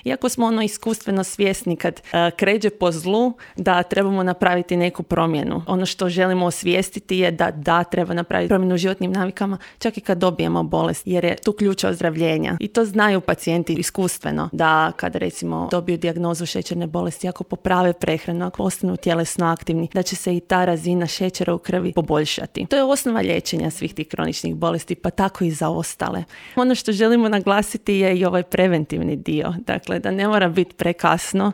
Iako smo iskustveno svjesni kad kređe po zlu da trebamo napraviti neku promjenu. Ono što želimo osvijestiti je da treba napraviti promjenu u životnim navikama čak i kad dobijemo bolest, jer je tu ključ ozdravljenja. I to znaju pacijenti iskustveno, da kada recimo dobiju dijagnozu šećerne bolesti, ako poprave prehranu, ako ostanu tjelesno aktivni, da će se i ta razina šećera u krvi poboljšati. To je osnova liječenja svih tih kroničnih bolesti, pa tako i za ostale. Ono što želimo naglasiti je i ovaj preventivni dio. Dakle, da ne mora biti prekasno